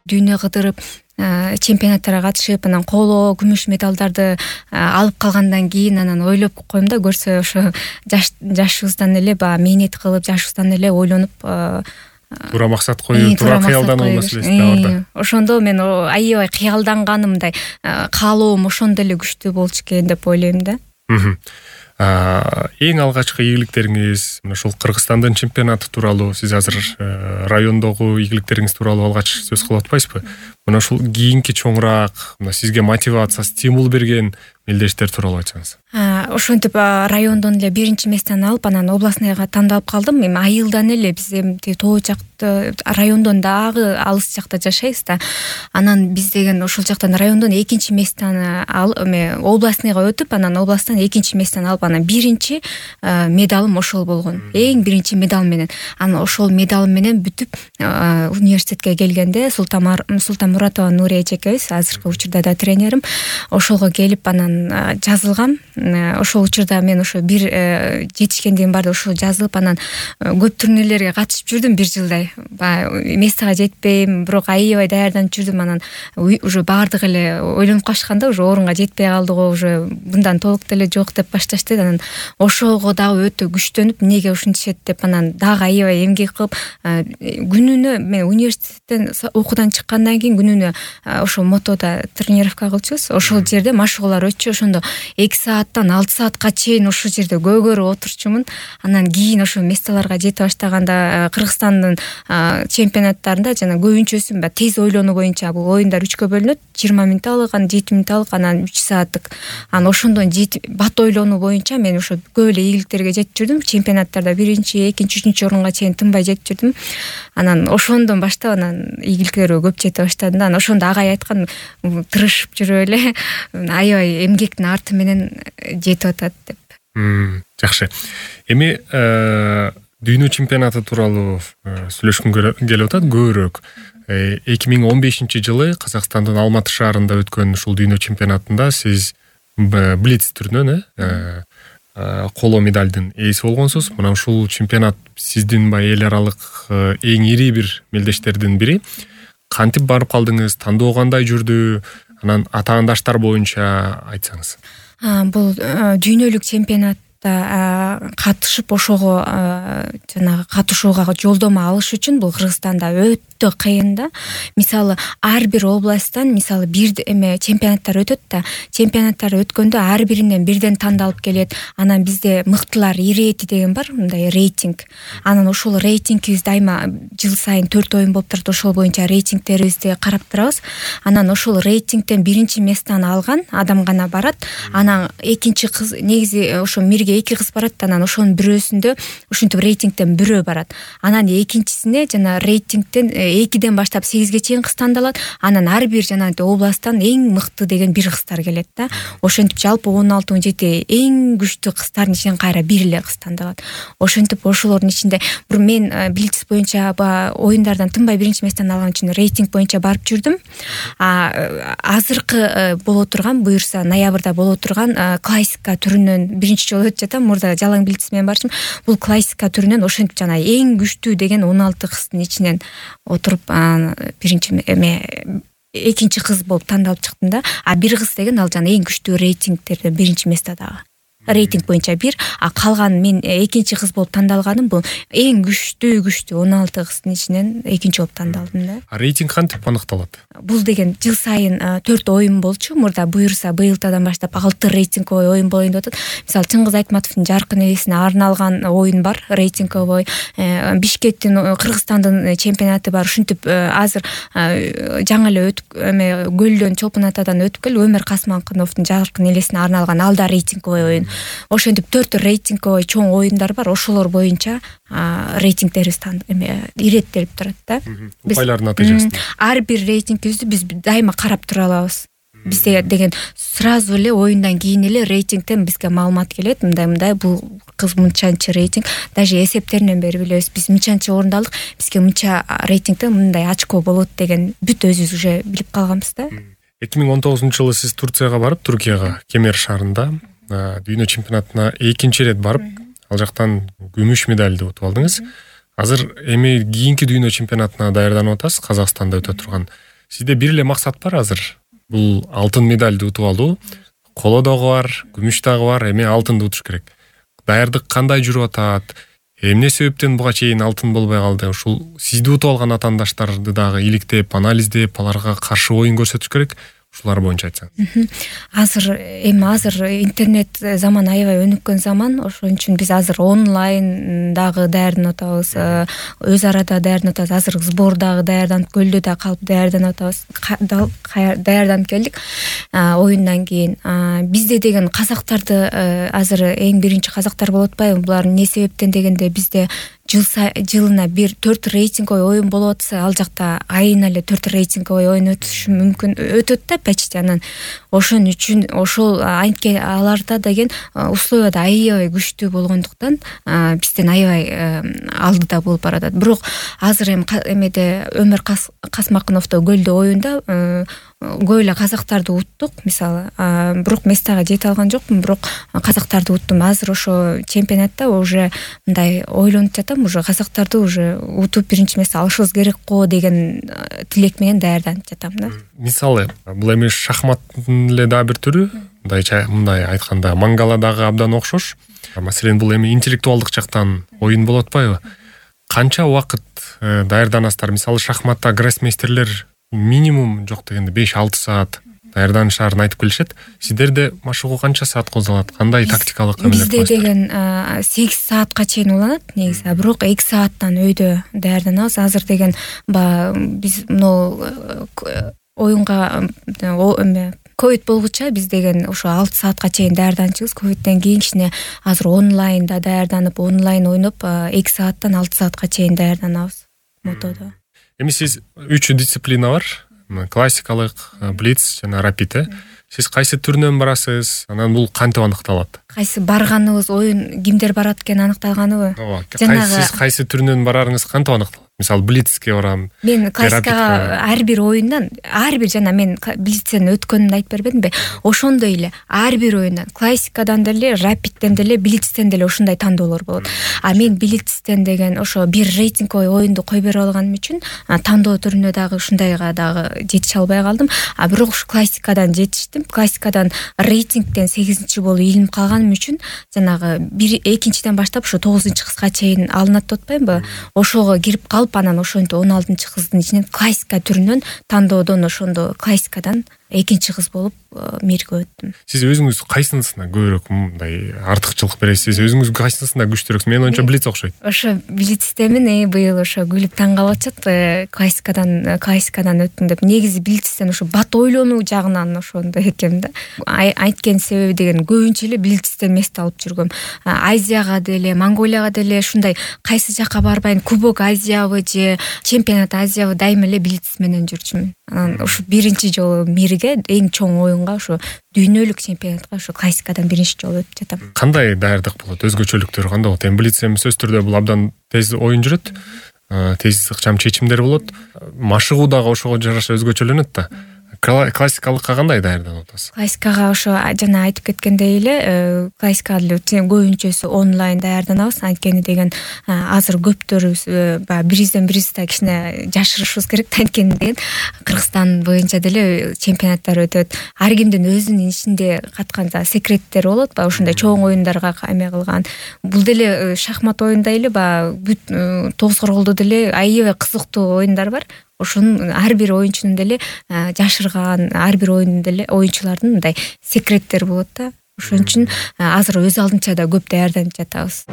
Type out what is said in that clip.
дүйнө кыдырып чемпионаттарга катышып, анан коло күмүш медалдарды алып калгандан кийин анан ойлоп койм да, көрсө ошо жашыбыздан эле баягы мээнет кылып, жашыбыздан эле ойлонуп туура максат коюп, туура кыялдануу маселеси да бар да. Ошондо мен аябай кыялданганымдай каалоом ошондо эле күчтүү болчу экен деп ойлойм да. Эң алгачкы ийгиликтериңиз мына ушул Кыргызстандын чемпионаты тууралуу, сиз азыр райондогу ийгиликтериңиз тууралуу алгач сөз кылып атпайсызбы? Мына ушул кийинки чоңураак, мына сизге мотивация, стимул берген мелдештер тууралуу айтсаңыз. Ошентип райондон эле биринчи месттен алып, анан областныйга тандалып калдым. Эми айылдан эле биз эми тоо жакта райондон дагы алыс жакта жашайбыз да. Анан биз деген ошол жактан райондон экинчи месттен областныйга өтүп, анан областтан экинчи месттен алып, анан биринчи медалым ошол болгон. Эң биринчи медал менен. Анан ошол медал менен бүтүп университетке келгенде Султанмуратова Нурия эжекебиз, азыркы учурда да тренерим, ошого келип анан жазылгам. Ошол учурда мен ошо бир жетишкендигим барды ошо жазылып, анан көп турнирлерге катышып жүрдүм бир жылдай. Мессага жетпейм, бирок аябай даярданып жүрдүм. Анан уже баардык эле ойлонуп калышканда, уже орунга жетпей калдык, уже мындан толук деле жок деп башташты. Анан ошого дагы өтө күчтөнүп, эмнеге ушинтишет деп анан дагы аябай эмгек кылып, күнүнө мен университеттен окуудан чыккандан кийин күнүнө ошо мотодо тренировка кылчубуз. Ошол жерде машыгуулар өтчү. Ошондо 2 сааттан 6 саатка чейин ошол жерде көөгөрүп отурчумун. Анан кийин ошо месталарга жете баштаганда Кыргызстандын чемпионаттарында жана көбүнчөсүн тез ойлонуу боюнча бул оюндар 3кө бөлүнөт. 20 мүнөттүк, анан 7 мүнөттүк, анан 3 сааттык. Анан ошондон бат ойлонуу боюнча мен ошо көп эле ийгиликтерге жетип жүрдүм. Чемпионаттарда биринчи, экинчи, үчүнчү орунга чейин тынбай жетип жүрдүм. Анан ошондон баштап анан ийгиликтерге көп жете баштадым да. Анан ошондо агай айткан, тырышып жүрүп эле аябай эмгектин арты менен жетип атат деп. Жакшы. Эми дүйнө чемпионаты тууралуу сүйлөшкүм келип атат көбүрөөк. 2015-жылы Казакстандын Алматы шаарында өткөн ушул дүйнө чемпионатында сиз блиц түрүнөн коло медалдын ээси болгонсуз. Мына ушул чемпионат сиздин эл аралык эң ири бир мелдештердин бири. Кантип барып калдыңыз? Тандоо кандай жүрдү? Анан атаандаштар боюнча айтсаңыз. Бул дүйнөлүк чемпионатта катышып, ошого жанагы катышууга жолдомо алыш үчүн бул Кыргызстанда өтө кыйын да. Мисалы ар бир областтан мисалы бир чемпионаттар өтөт да. Чемпионаттар өткөндө ар биринен бирден тандалып келет. Анан бизде мыктылар ирети деген бар, мындай рейтинг. Анан ошол рейтингибиз дайыма жыл сайын 4 оюн болуп турат. Ошол боюнча рейтингтерибизди карап турабыз. Анан ошол рейтингтен биринчи месттен алган адам гана барат. Анан экинчи кыз, негизи ошо мирге 2 кыз барат. Анан ошонун бирөөсүндө ушинтип рейтингтен бирөө барат. Анан экинчисине жана рейтингтен 2ден баштап 8ге чейин кыз тандалат. Анан ар бир жана областтан эң мыкты деген бир кыздар келет да. Ошентип жалпы 16-17 эң күчтүү кыздардын ичинен кайра бир эле кыз тандалат. Ошентип ошолордун ичинде бир мен блиц боюнча оюндардан тынбай биринчи месттен алган үчүн рейтинг боюнча барып жүрдүм. Азыркы боло турган, буюрса ноябрда боло турган классика түрүнөн биринчи жолу өтүп жатам. Мурда жалаң блиц менен барчым. Бул классика түрүнөн ошентип жана эң күчтүү деген 16 кыздын ичинен отуруп биринчи экинчи кыз болуп тандалып чыктым да. Бир кыз деген ал жана эң күчтүү рейтингтерде биринчи месте дагы. Рейтинг боюнча бир, калган мен экинчи кыз болуп тандалганым бул эң күчтүү 16 кыздын ичинен экинчи болуп тандалдым да. Рейтинг кантип аныкталат? Бул деген жыл сайын 4 оюн болчу. Мурда буюрса быйылтадан баштап 6 рейтинговый оюн болоюн деп атат. Мисалы Чыңгыз Айтматовдун жаркын элесине арналган оюн бар, рейтинговый. Бишкектин, Кыргызстандын чемпионаты бар. Ушинтип азыр жаңы эле өтүп Көлдөн Чолпон Атадан өтүп кел Өмөр Касманкановдун жаркын элесине арналган алда рейтинговый оюн. Ошентип 4 рейтинговый чоң оюндар бар. Ошолор боюнча рейтингтерибиз иреттелип турат да. Упайлардын натыйжасында. Ар бир рейтингибизди биз дайыма карап тура алабыз. Бизде деген сразу эле оюндан кийин эле рейтингтен бизге маалымат келет. Мындай бул кыз мынчанчы рейтинг, даже эсептеринен бери билебиз. Биз мынчанчы орунду алдык, бизге мынча рейтингтен мындай очко болот деген бүт өзүбүз уже билип калганбыз да. 2019-жылы сиз Турцияга барып, Түркияга, Кемер шаарында дүйнө чемпионатына экинчи рет барып, ал жактан күмүш медалды утуп алдыңыз. Азыр эми кийинки дүйнө чемпионатына даярданып атасыз, Казакстанда өтө турган. сизде бир эле максат бар азыр. Бул алтын медальды утуп алуу. Коло дагы бар, күмүш дагы бар, эми алтынды утуш керек. Даярдык кандай жүрүп атат? Эмне себептен буга чейин алтын болбой калды? Ушул сизди утуп алган атаандаштарды дагы иликтеп, анализдеп, аларга каршы оюн көрсөтүш керек. Ушулар боюнча айтсаңыз. Азыр интернет заман аябай өнүккөн заман, ошон үчүн биз азыр онлайн дагы даярданып атабыз, өз арада даярданып атабыз. Азыр сбор дагы даярданып, көлдө да калып даярданып атабыз. Даярданып келдик оюндан кийин. Бизде деген казактарды азыр эң биринчи казактар болуп атпайбы? Булар эмне себептен дегенде бизде жылына 4 рейтинговый оюн болуп атса, ал жакта айына эле 4 рейтинговый оюн өтүшү мүмкүн, өтөт да почти. Анан ошон үчүн ошол аларда деген условия да аябай күчтүү болгондуктан бизден аябай алдыда болуп баратат. Бирок азыр эмеде Өмөр Касмакыновдо Көлдө оюнда көп эле казактарды уттук, мисалы. Бирок местага жете алган жокмун, бирок казактарды уттум. Азыр ошо чемпионатта уже мындай ойлонуп жатам, уже казактарды уже утуп биринчи месте алышыбыз керек го деген тилек менен даярданып жатам да. Мисалы, бул эми шахматтын эле дагы бир түрү, мындай айтканда мангала дагы абдан окшош. Маселен, бул эми интеллектуалдык жактан оюн болуп атпайбы? Канча убакыт даярданасыздар? Мисалы, шахматта гроссмейстерлер минимум жок дегенде 5-6 саат даярданышарын айтып келишет. Сиздерде машыгуу канча саат козголот? Кандай тактикалык эмелер коесуздар? Бизде деген 8 саатка чейин уланат негизи, бирок 2 сааттан өйдө даярданабыз. Азыр деген биз оюнга ковид болгуча биз деген ошо 6 саатка чейин даярданчыбыз. Ковидден кийин кичине азыр онлайнда даярданып, онлайн ойноп 2 сааттан 6 саатка чейин даярданабыз мотодо. Эми сиз 3 дисциплина бар. Классикалык, блиц жана рапид. Сиз кайсы түрүнөн барасыз? Анан бул кантип аныкталат? Кайсы барганыбыз, оюн кимдер барат экен аныкталганыбы? Сиз кайсы түрүнөн барарыңыз кантип аныкталат? Мисалы, блицке барам. Мен классикага ар бир оюндан, ар бир жана мен блицтен өткөнүмдү айтып бербедимби? Ошондой эле ар бир оюндан, классикадан деле, рапидтен деле, блицтен деле ошондой тандоолор болот. Мен блицтен деген ошо бир рейтинговый оюнду кой берип алганым үчүн тандоо түрүнө дагы ушундайга дагы жетише албай калдым. Бирок ушу классикадан жетиштим. Классикадан рейтингден 8-чи болуп илинип калганым үчүн жанагы 2-чиден баштап ошо 9-чы кызга чейин алынат деп атпаймынбы? Ошого кирип анан ошентип 16-чы кыздын ичинен классика түрүнөн тандоодон ошондо классикадан 2-чи кыз болуп мирге өттүм. Сиз өзүңүз кайсынысына көбүрөөк мындай артыкчылык бересиз? Өзүңүз кайсынысына күчтүүрөксүз? Мен оюнча блиц окшойт. Ошо блицтемин, быйыл ошо күлүп таң калып атышат. Классикадан өттүм деп. Негизи блицтен ошо бат ойлонуу жагынан ошондой экен да. Айткан себеби деген көбүнчө эле блицтен месте алып жүргөм. Азияга деле, Монголияга деле ушундай кайсы жакка барбайын, Кубок Азиябы же Чемпионат Азиябы дайыма эле блиц менен жүрчүмүн. Анан ушу биринчи жолу мирге, эң чоң оюнга, ошо дүйнөлүк чемпионатка ошо классикадан биринчи жолу өтүп жатам. Кандай даярдык болот? Өзгөчөлүктөрү кандай болот? Эми блиц сөзсүз түрдө бул абдан тез оюн жүрөт. Тез ыкчам чечимдер болот. Машыгуу дагы ошого жараша өзгөчөлөнөт да. Классикалыкка кандай даярданып атасыз? Классикага ошо жана айтып кеткендей эле, классикага көбүнчөсү онлайн даярданабыз. Анткени деген азыр көптөрүбүз биризден бирибизди кичине жашырышыбыз керек да. Анткени деген Кыргызстан боюнча деле чемпионаттар өтөт. Ар кимдин өзүнүн ичинде каткан секреттери болот, ошондой чоң оюндарга эме кылган. Бул деле шахмат оюнда эле бүт тогуз корголдо деле аябай кызыктуу оюндар бар. Ошонун ар бир оюнчунун деле жашырган, ар бир оюндун деле оюнчулардын мындай секреттери болот да. Ошон үчүн азыр өз алдынча да көп даярданып жатабыз.